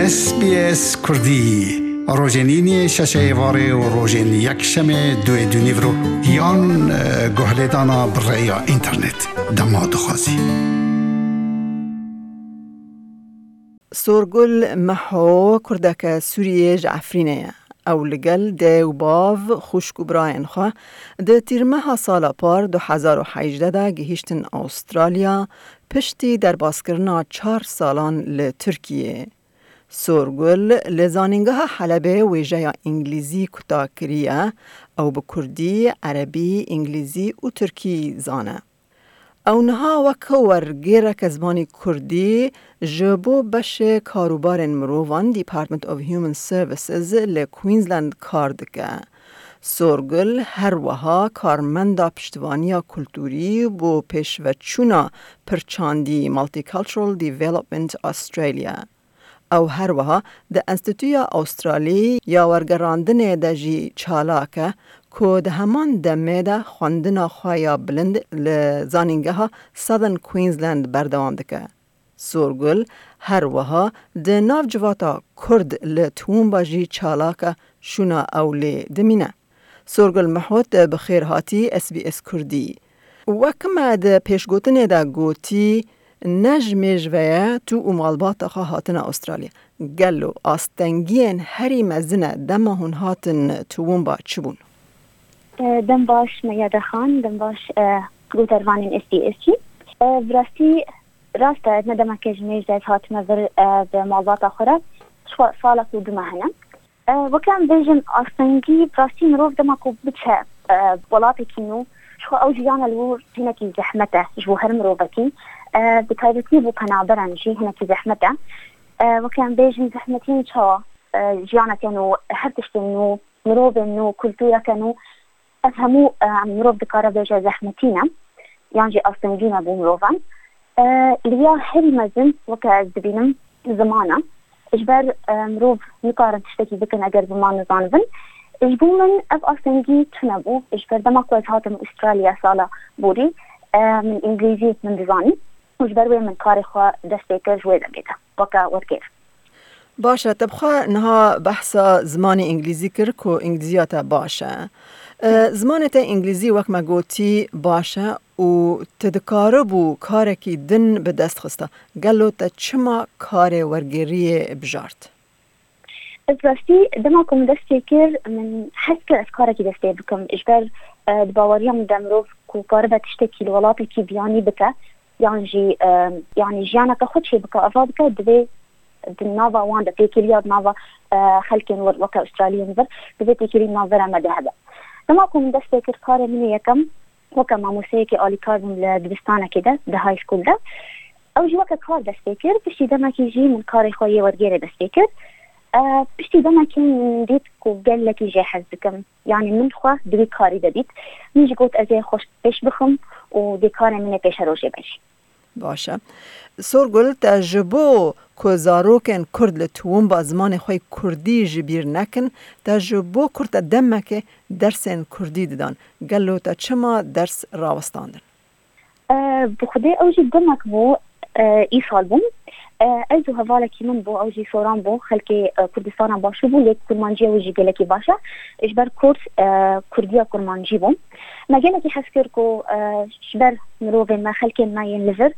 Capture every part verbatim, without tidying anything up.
S B S Kurdî, rojên îniyê şeşê êvarê û rojên yekşemê duê dûnîvro yan, e, guhlêdana bi rêya înternet. Dema dixwazî. Sorgul Meho kurdeke Sûriyê ji Efrînê ye. Ew li gel dê û bav, xwişk û birayên xwe di tîrmeha sala par du hezar û hejdeh de gihîştin Awustralya, piştî derbaskirina çar salan li Tirkiyê. Sorgul li Zanîngeha Helebê wêjeya Îngilîzî kuta kiriye. Ew bi Kurdî, Erebî, Îngilîzî û Tirkî zane. Ew niha wek wergêreke zimanî Kurdî ji bo beşê karûbarên mirovan, Department of Human Services, li Queensland kar dike. Sorgul her wiha karmenda piştevaniya kulturî bo pêşveçûna pirçandî Multicultural Development Australia. Ew her wiha di Enstîtuya Awustralî ya Wergerandinê de jî çalak e, ku di heman demê de xwendina xwe ya bilind li Zanîngeha Southern Queensland berdewam dike. Sorgul her wiha di nav civata Kurd li Toowoomba jî çalak e, şûna ew lê dimîne. Sorgul Mehot, bi xêr hatî S B S Kurdî. Wek me di pêşgotinê de gotî, ne ji mêj ve ye tu û malbata xwe hatine Astralya. Gelo astengiyên herî mezin e dema hûn hatin Toowoomba çi bûn? E, dem baş Meya Dexan, dem baş, e, guhdarvanên S B S jî. E, bi rastî rast e, ne demeke ji mêj de ez hatime vir, e, bi malbata xwe re. Ji xwe salek û du meh hene. E, weke em bêjin astengî, bi rastî mirov dema ku biçe, e, welatekî nû, ji xwe ew jiyana li wir hinekî zehmet e ji bo her mirovekî. E, bi taybetî bo penaberan jî hinekî zehmet e. E, weke em bêjin zehmetî çawa, e, jiyaneke nû, her tiştên nû, mirovên nû, kultureke nû, ev hemû, e, mirov dikare bêje zehmetî ne, yan jî astengî ne bo mirovan. E, li ya herî mezin, weke ez dibînim, ziman e. Ji ber, e, mirov nikarin tiştekî bikin eger ziman nizanibin. Ji bo min ev astengî tune bû. Ji ber dema ku ez hatim Australya sala borî, e, min îngilîzî min dizanî. Û ji ber wê min karê xwe dest pê kir ji wê demê de, weke wergêr. Baş e, te bi xwe niha behsa zimanê îngilîzî kir ku îngilîziya te baş e. E, zimanê te îngilîzî wek me gotî baş e û tu dikaribû karekî din bi dest xista. Gelo te çima karê wergêriyê bijart? Ez rastî dema ku min dest pê kir, min hez kir ez karekî dest pê bikim. Ji ber, e, di baweriya min de mirov ku karibe tiştekî li welatekî biyanî bike, yan jî, e, yanî jiyaneke xwe çêbike, ava bike, divê di nava wan de têkiliya di nava, e, xelkên wir weke Australiyên vir, divê têkilî di navbera me de hebe. Dema ku min dest pê kir, karê min ê yekem weke mamosteyekî alîkar bûm li dibistanekê de, di high school de. Ew jî weke kar dest pê kir, piştî demekî jî min karê xwe yê wergêrê dest pê kir. E, piştî demekî min dît ku gelekî jê hez dikim. Yanî min xwe di wî karî de dît. Min jî got ez ê xwe pêş bixim û dê karê min ê pêşerojê be jî. Baş e. Sorgul, te ji bo ku zarokên Kurd li Toowoomba zimanê xwe yê Kurdî ji bîr nekin, te ji bo ku te demekê dersên Kurdî didan. Gelo te çima ders rawestandin? E, bi xwedê ew jî demek bû, e, îsal bûm. E, ez û hevalekî min bû, ew jî soran bû, xelkê, e, Kurdistana Başûr bû, lê kurmanciya wî jî gelekî baş e. Ji ber Kurd, e, Kurdiya kurmancî bû. Me gelekî hez kir ku, e, ji ber mirovên me, xelkên me yên li vir,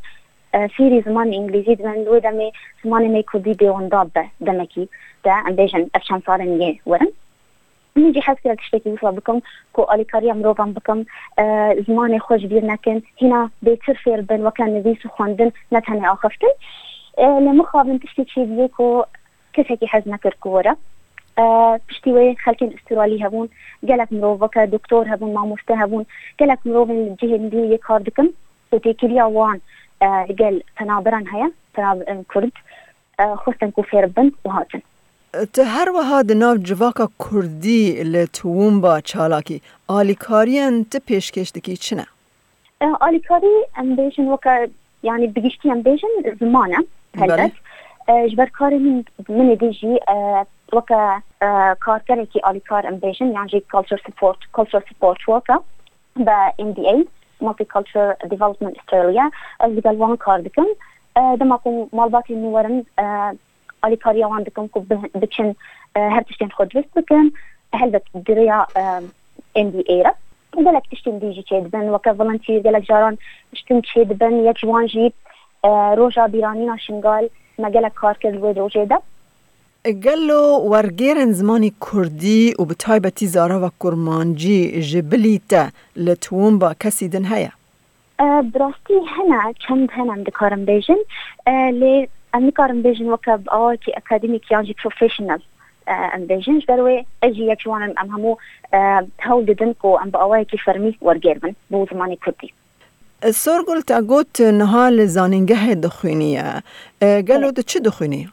e, fêrî zimanê îngilîzî dibin, li wê demê zimanê me yê Kurdî bêwenda be demekî de, em bêjin ev çend salên yê werin. Min jî hez kir tiştekî wisa bikim ku alîkariya mirovan bikim, e, zimanê xwe ji bîr nekin, hîna bêtir fêr bin weke nivîs û xwendin, ne tenê axiftin. E, lê mixabin tiştê çêbûye ku kesekî hez nekir ku were. E, piştî wê xelkên Îstûralî hebûn, gelek mirov weke doktor hebûn, mamoste hebûn, gelek mirovên li cihên din yê kar dikin û têkiliya wan, e, li gel penaberan heye, penaberên Kurd, e, xwestin ku fêr bin û hatin. Tu her wiha di nav civaka Kurdî li Toowoomba çalakî, alîkariyên tu pêşkêş dikî çi ne? E, alîkarî em bêjin weke, yanî bi giştî em bêjin ziman e, Belê. Helbet. E, ji ber karê min, min ê dî jî, e, weke, e, karkerekî alîkar em bêjin, yan jî culture support, culture support worker be M D A, Multicultural Development Australia. Ez digel wan kar dikim. E, dema ku malbatên min werin, e, alîkariya wan dikim ku bi-, biçin, e, her tiştên xwe dirust bikin. Helbet di rêya, e, M B A re. Gelek tiştên dî jî çêdibin. Weke volunteer gelek caran tiştin çêdibin. Yek ji wan jî, e, roja bîranîna Şingal, me gelek kar kir li wê rojê de. Gelo wergêrên zimanî kurdî û bi taybetî zarava kurmancî ji bilî te li Toowoomba kesî din heye? E, bi rastî hene, çend hene em dikarin bêjin. E, lê em nikarin bêjin weke bi awayekî akademîk yan jî professional, e, em bêjin. Ji ber wê ez jî yek ji wan im, em hemû, e, hewl didin ku em bi awayekî fermî wergêr bin bo zimanê kurdî. E, Sorgul, te got niha li zanîngehê dixwîniye. E, gelo Evet. tu çi dixwînî?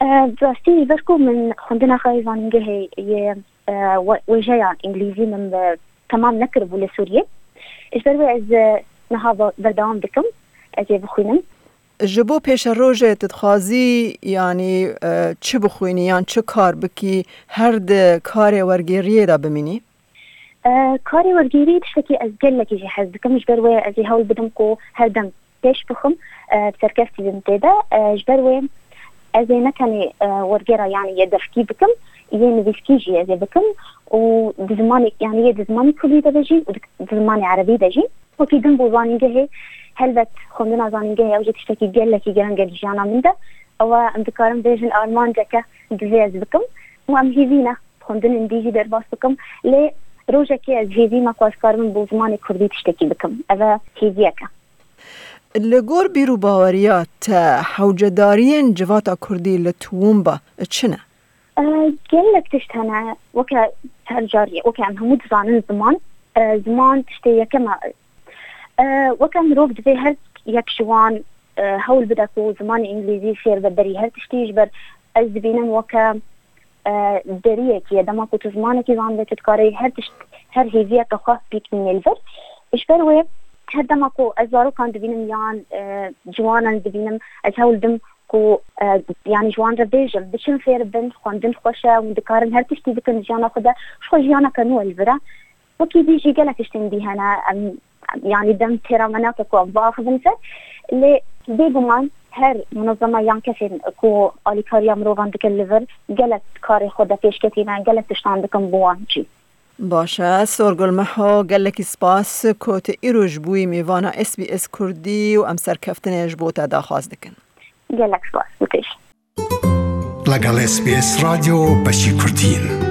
E, bi rastî ji ber ku min xwendina xwe yê zanîngehê yê, e, we-, wêjeya îngilîzî min bi temam nekiribû li Sûriyê. Ji ber wê ez, e, niha be-, berdewam dikim, ez ê bixwînim. Ji bo pêşerojê tu dixwazî, yanî, e, çi bixwînî yan çi kar bikî, her di karê wergêriyê de bimînî? E, karê wergêrî tiştekî ez gelekî jî hez dikim, ji ber wê ez ê hewl bidim ku her dem pêş bixim, e, bi serkeftî bim tê de. E, ji ber wê ez ê ne tenê, e, wergêra, yanî yê devkî bikim, yê nivîskî jî ez ê bikim û di zimanê, yanî yê di zimanê kurdî de bêjîn û di, di zimanê erebî de jî. Wekî din bo zanîngehê, helbet xwendina zanîngehê ew jî tiştekî gelekî girîng e di jiyana min de. Ew e, em dikarin bêjin armanceke divê ez bikim û em hêvî ne xwendinên dî jî derbas bikim. Lê rojekê ez hêvî me ku ez karibim bo zimanê kurdî tiştekî bikim. Ev e hêviyeke. Li gor bîr û baweriya te, hewcedariyên civata kurdî li Toowoomba çi ne? E, gelek tişt hene. Weke her carî, weke em hemû dizanin ziman, e, ziman tiştê yekem e. E, weke mirov divê her yek ji wan, e, hewl bide ku zimanê îngilîzî fêr be berî her tiştî, ji ber ez dibînim weke, e, deriyekî ye. Dema ku tu zimanekî zanibê, tu dikarî her tişt, her hêviyeke xwe bîkînî li vir. Ji ber wê her dema ku ez zarokan dibînim yan, e, ciwanan dibînim, ez hewl dim ku, e, yanî ji wan re bêjim, biçin fêr bin, xwendin xweş e, hûn dikarin her tiştî bikin di jiyana xwe de, ji xwe jiyaneke nû li vir e. Wekî dî jî gelek tiştên dî hene, em, yanî dem têra me nake ku em biaxivin ser. Lê bêguman her munezeme yan kesên ku alîkariya mirovan dikin li vir, gelek karê xwe de pêşketî ne, gelek tiştan dikin bo wan jî. Baş e, Sorgul Meho, gelekî spas ku tu îro ji bûyî mêvana S B S Kurdî û em serkeftinê ji bo te daxwaz dikin. Gelek spas, bû têj. لەگەڵ S B S رادیۆ بەشی کوردین.